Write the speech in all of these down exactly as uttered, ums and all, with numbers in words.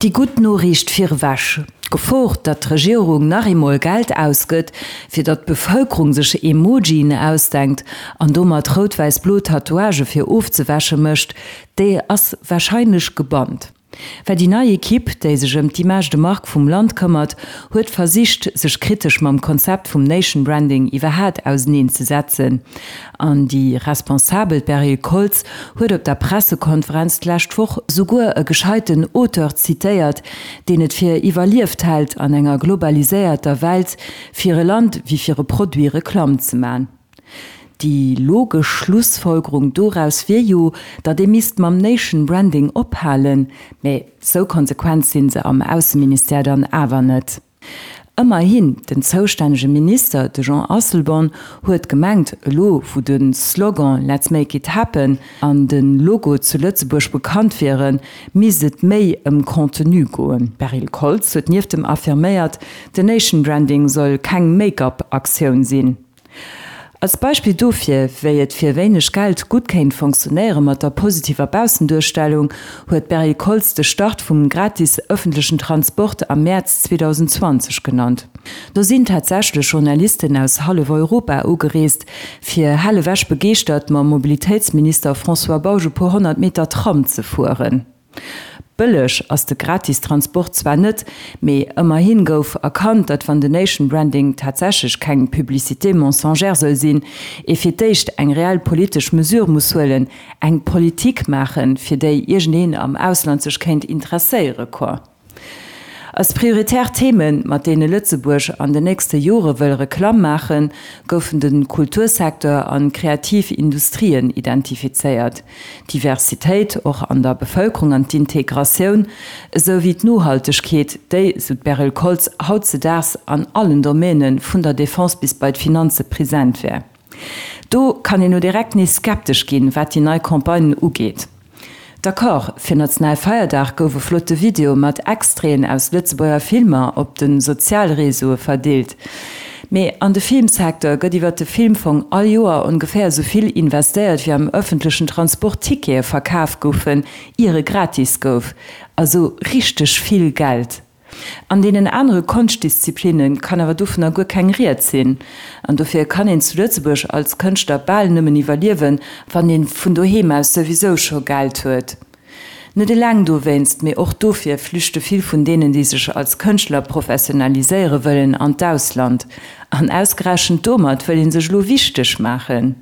Déi gutt Noriicht virewech, D'Gefor, datt d'Regierung nach eemol Geld ausgëtt, fir datt d'Bevëlkerung sech Emojien ausdenkt an domat rout-wäiss-blo Tatouagë fir ofzewäsche mécht, déi ass warscheinlech gebannt. Well déi nei Ekipp, déi sech ëm d'Image de marque vum Land këmmert, huet versicht, sech kritesch mam Konzept vum Nation Branding iwwerhaat auseneen ze setzen. An déi Responsabel, d'Beryl Koltz, huet op der Pressekonferenz d'lescht Woch souguer e gescheiten Auteur zitéiert, deen et fir iwwerlieft hält, an enger globaliséierter Welt fir e Land wéi fir e Produit Reklamm ze man. Déi logesch Schlussfolgerung doraus wier jo, datt ee misst mam Nation Branding ophalen, mä sou konsequent si se am Ausseministère dann awer net. Ëmmerhin, den zoustännege Minister, de Jean Asselborn, huet gemengt, elo wou de Slogan Let's make it happen an de Logo zu Lëtzebuerg bekannt wieren, misst et méi ëm Contenu goen. D'Beryl Koltz huet nieft dem affirméiert, den Nation Branding soll keng Make-up-Aktioun sinn. Als Beispill dofir, wéi et fir wéineg Geld gutt kéint funktionéiere mat der positiver Baussenduerstellung, huet d'Beryl Koltz de Start vum gratis ëffentlechen Transport am Mäerz zweedausend zwanzeg genannt. Do sinn tatsächlech Journalisten aus hallef Europa ugereest, fir hellewech begeeschtert mam Mobilitéitsminister François Bausch e puer honnert Meter Tram ze fueren. Bëlleg ass de gratis Transport zwar net, mee ëmmerhin gouf erkannt, datt wann de Nation Branding tatsächlech keng Publicité mensongère soll sinn, ee fir d'éischt eng reell politesch Mesure muss huelen, eng Politik maachen, fir déi iergendeen am Ausland sech kéint interesséiere quoi. Als prioritär Themen, mat deene Lëtzebuerg an den nächste Jore wëll Reklamm maachen, goufen de Kultursecteur an d'kreativ Industrien identifizéiert. D'Diversitéit och an der Bevëlkerung an d'Integratioun, esou wéi d'Nohaltegkeet, déi, sou d'Beryl Koltz, hautzedaags an allen Domäne vun der Defense bis bei d'Finanze present wär. Do kann een no direkt nees skeptesch ginn, wat déi nei Campagne ugeet. D'accord, fir Nationalfeierdag gouf e flotte Video mat Extraiten aus Lëtzebuerger Filmer op de Sozialreseaue verdeelt. Mee an de Filmsecteur gëtt iwwer de Filmfong all Joer ongeféier esou vill investéiert, wéi am ëffentlechen Transport Tickete verkaf goufen, ier e gratis gouf. Also richteg vill Geld. An deenen anere Konschtdisziplinne kann awer dovunner guer keng Ried sinn. An dofir kann een zu Lëtzebuerg als Kënschtler bal nëmmen iwwerliewen, wann ee vun doheem aus souwisou scho Geld huet. Net eleng dowéinst, mee och dofir flüchte vill vun deenen, déi sech als Kënschtler professionaliséiere wëllen, an d'Ausland. An ausgerechent domat wëll ee sech elo wichteg maachen.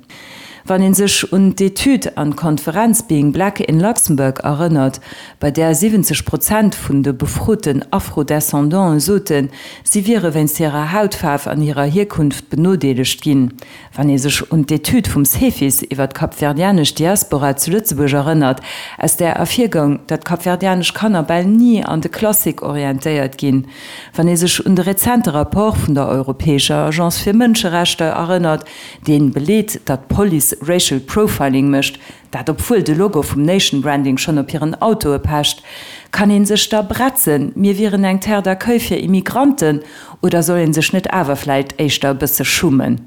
Wann een sech un d'Etüd an d'Konferenz Being Black in Luxembourg erënnert, bei där siwwenzeg Prozent vun de befroten Afro-Descendanten soten, si wiere wéinst hirer Hautfaarf an hirer Hierkunft benodeelegt ginn, wann ee sech un d'Etüd vum Cefis iwwer d'kapverdianesch Diaspora zu Lëtzebuerg erënnert, aus där ervirgoung, datt kapverdianesch Kanner bal ni an de Klassik orientéiert ginn, wann ee sech un de rezente Rapport vun der Europäescher Agence fir Mënscherechter erënnert, dee beleet, datt d'Police Racial Profiling mécht, dat obwuel de Logo vum Nation Branding schonn op hiren Autoe pecht, kann ee sech da bretzen, mir wieren eng Terre d'accueil fir Immigranten, oder soll ee sech net awer vläicht éischter e bësse schummen?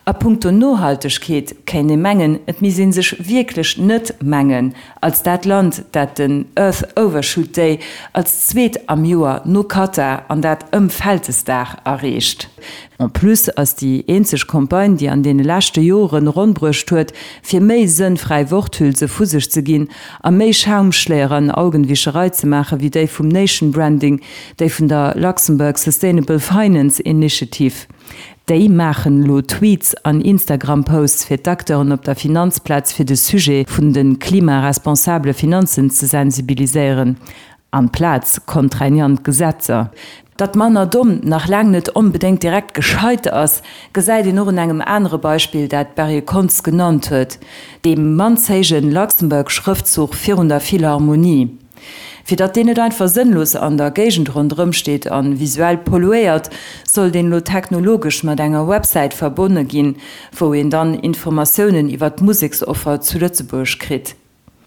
A punkto Nohaltegkeet kéint ee mengen, et misst ee sech wierklech net mengen als dat Land, dat den Earth Overshoot Day als zweet am Joer no Katar an dat ëm Vältesdag erreecht. En plus ass déi eenzeg Campagne, déi an deene leschte Joren ronn bruecht huet, fir méi sënnfräi Worthülse vu sech ze ginn a méi Schaumschléier an Augenwischerei ze maachen, wéi déi vum Nation Branding, déi vun der Luxembourg Sustainable Finance Initiative. Déi maachen elo Tweets an Instagram-Posts fir d'Acteuren op der Finanzplaz fir de Sujet vun de klimaresponsabele Finanzen ze sensibiliséieren, amplaz contraignant Gesetzer. Datt manner domm nach laang net onbedéngt direkt gescheit ass, gesäit een och un engem anere Beispill, dat d'Beryl Kontz genannt huet, deem mannshéije Luxembourg-Schrëftzuch virun der Philharmonie. Fir datt deen net einfach sënnlos an der Géigend ronderëm steet a visuell polluéiert, soll deen elo technologesch mat enger Websäit verbonne ginn, wou een dann Informatiounen iwwer d'Museksoffer zu Lëtzebuerg kritt.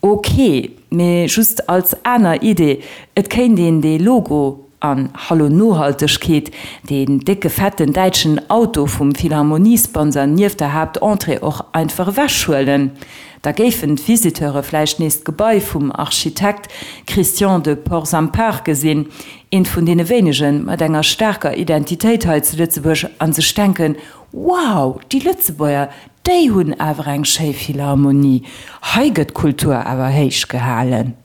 Ok, mee just als aner Idee, et kéint een dee Logo An, hallo Nohaltegkeet, deen décke fetten däitschen Auto vum Philharmoniesponsor nieft der Haaptentrée och einfach ewechhuelen. Da géifen d'Visiteure vläicht nees d'Gebai vum Architekt Christian de Portzamparc gesinn, eent vun deene wéinege mat enger staarker Identitéit hei zu Lëtzebuerg, a sech denken, Wow, déi Lëtzebuerger, déi hunn awer eng schéi Philharmonie, hei gëtt Kultur awer héich gehalen.